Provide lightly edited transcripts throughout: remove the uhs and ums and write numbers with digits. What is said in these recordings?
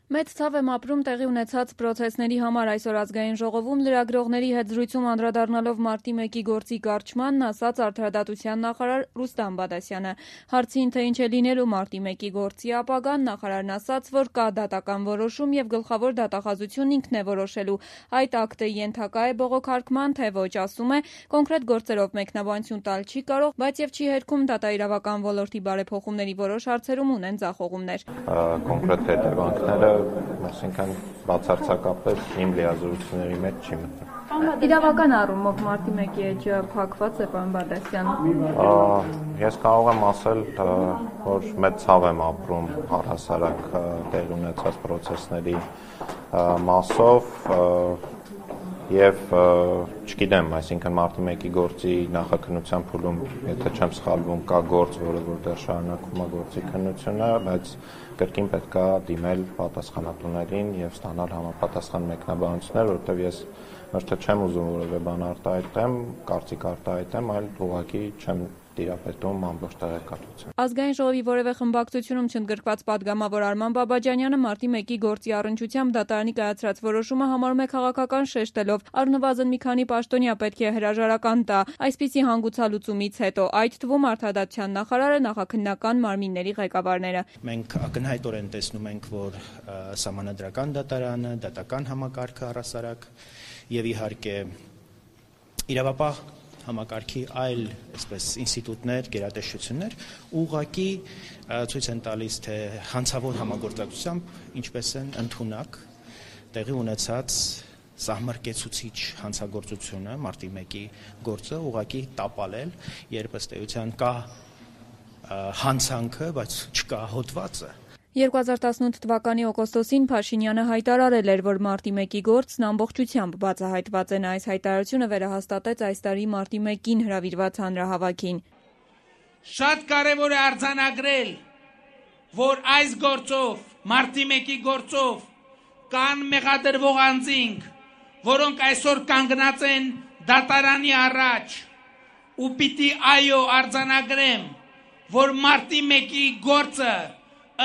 Մեծ ցավ եմ ապրում տեղի ունեցած պրոցեսների համար այսօր ազգային ժողովում լրագրողների հետ զրույցում անդրադառնալով մարտի 1-ի գործի կարճմանն ասաց Արդարադատության նախարար Ռուստամ Բադասյանը։ Հարցին, թե ինչ է լինելու մարտի 1-ի գործի ապագան, նախարարն ասաց, որ կա դատական որոշում եւ գլխավոր դատախազությունն ինքն է որոշելու։ Այդ ակտը ենթակա է բողոքարկման, թե ոչ, ասում է, կոնկրետ գործերով մեկնաբանություն տալ չի կարող, բայց եւ չի հերքում դատաիրավական ոլորտի բարեփոխումների որոշ հարցերում ունեն ձախողումներ։ Կոնկրետ հետևանքները այսինքն բացարձակապես իմ լիազորությունների մեջ չի մտնում։ Իրավական առումով մարտի 1-ի էջը փակված է, պարոն Բադասյան։ Ես կարող եմ ասել, որ մեծ ցավ եմ ապրում առհասարակ տեղի ունեցած պրոցեսների մասով եւ չգիտեմ, այսինքն մարտի 1-ի գործի նախաքննության փուլում, եթե չեմ սխալվում, կա գործ, որը որ դեռ շարունակվում է գործի քննությունը, բայց կրկին պետք է դիմել պատասխանատուներին եւ ստանալ համապատասխան մեկնաբանություններ, որովհետեւ ես ոչ թե չեմ ուզում որևէ բան արտահայտեմ, կարծիք արտահայտեմ, այլ ուղղակի չեմ տիրապետում ամբողջ տեղեկատվություն։ Ազգային ժողովի որևէ խմբակցությունում չընդգրկված պատգամավոր Արման Բաբաջանյանը մարտի 1-ի գործի առնչությամբ դատարանի կայացրած որոշումը համարում է քաղաքական շեշտելով, առնվազն մի քանի պաշտոնյա պետք է հրաժարական տա այսպիսի հանգուցալուծումից հետո, այդ թվում Արդարադատության նախարարը, նախաքննական մարմինների ղեկավարները։ Մենք ակնհայտորեն տեսնում ենք, որ Սահմանադրական դատարանը, դատական համակարգը առհասարակ եւ իհարկե իրավապահ համակարգի այլ ինստիտուտներ, գերատեսչություններ ուղղակի ցույց են տալիս, թե հանցավոր համագործակցությամբ ինչպես են ընդունակ տեղի ունեցած սահմռկեցուցիչ հանցագործությունը մարտի 1-ի գործը ուղղակի տապալել, երբ ըստ էության կա հանցանքը, բայց չկա հոդվածը։ 2018 թվականի օգոստոսին Փաշինյանը հայտարարել էր, որ մարտի 1-ի գործն ամբողջությամբ բացահայտված է։ Նա այս հայտարարությունը վերահաստատեց այս տարի մարտի 1-ին հրավիրված հանրահավաքին։ Շատ կարևոր է արձանագրել, որ այս գործով, մարտի 1-ի գործով կան մեղադրվող անձինք, որոնք այսօր կանգնած են դատարանի առաջ, ու պիտի այո արձանագրեմ, որ մարտի 1-ի գործը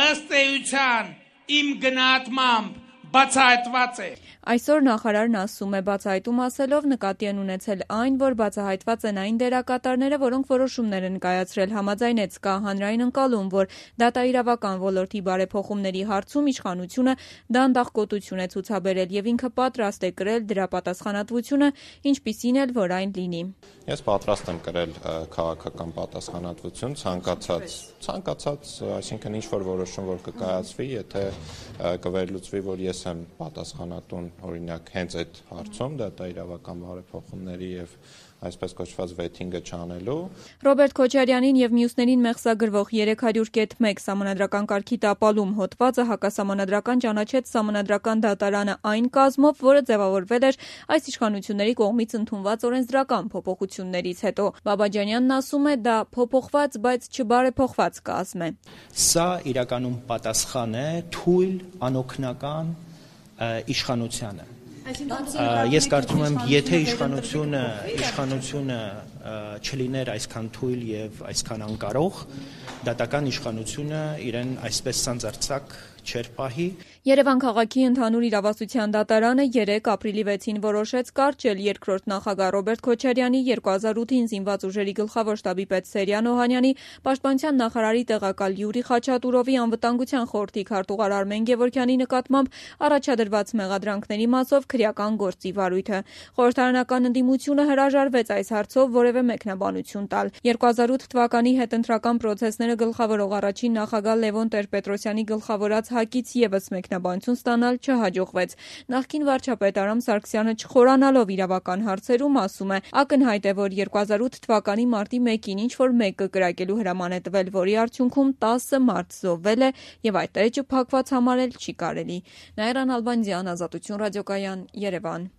ըստ էության իմ գնահատմամբ բացահայտված է։ Այսօր նախարարն ասում է, բացահայտում ասելով նկատի են ունեցել այն, որ բացահայտված են այն դերակատարները, որոնք որոշումներ են կայացրել, համաձայնեց կա հանրային ընկալում, որ դատաիրավական ոլորտի բարեփոխումների հարցում իշխանությունը դանդաղկոտություն է ցուցաբերել եւ ինքը պատրաստ է կրել դրա պատասխանատվությունը, ինչպիսին էլ որ այն լինի։ Ես պատրաստ եմ կրել քաղաքական պատասխանատվություն ցանկացած, այսինքն ինչ որ որոշում որ կկայացվի, եթե կվերլուծվի, որ ես եմ պատասխանատուն օրինակ հենց այդ հարցում դատաիրավական բարեփոխումների եւ այսպես կոչված վեթինգը չանելու։ Ռոբերտ Քոչարյանին եւ մյուսներին մեղսագրվող 300.1 սահմանադրական կարգի տապալում հոդվածը հակասահմանադրական ճանաչեց Սահմանադրական դատարանը այն կազմով, որը ձևավորվել էր այս իշխանությունների կողմից ընդունված օրենսդրական փոփոխություններից հետո։ Բաբաջանյանն ասում է, դա փոփոխված, բայց չբարեփոխված կազմ է։ Սա իրականում պատասխան է թույլ անօգնական իշխանությանը։ Ես կարծում եմ, եթե իշխանությունը չլիներ այսքան թույլ եւ այսքան անկարող, դատական իշխանությունը իրեն այսպես սանձարձակ չէր պահի։ Երևան քաղաքի ընդհանուր իրավասության դատարանը 3 ապրիլի 6-ին որոշեց կարճել երկրորդ նախագահ Ռոբերտ Քոչարյանի, 2008-ին զինված ուժերի գլխավոր շտաբի պետ Սերյան Օհանյանի, պաշտպանության նախարարի տեղակալ Յուրի Խաչատուրովի, անվտանգության խորհրդի քարտուղար Արմեն Գևորգյանի նկատմամբ առաջադրված մեղադրանքների մասով քրեական գործի վարույթը։ Խորհրդարանական ընդդիմությունը հրաժարվեց այս հարցով որևէ մեկնաբանություն տալ։ 2008 թվականի հետընտրական պրոցեսները գլխավորող առաջին նախագահ Լևոն Տեր-Պետրոսյանի գլխավորած ՀԱԿ-ից եւս մեկնաբանություն ստանալ չհաջողվեց։ Նախկին վարչապետ Արամ Սարգսյանը չխորանալով իրավական հարցերում ասում է, ակնհայտ է, որ 2008 թվականի մարտի 1-ին ինչ որ մեկը կրակելու հրաման է տվել, որի արդյունքում 10 մարդ զոհվել է եւ այդ էջը փակված համարել չի կարելի։ Նաիրա Նալբանդյան, Ազատություն ռադիոկայան, Երևան։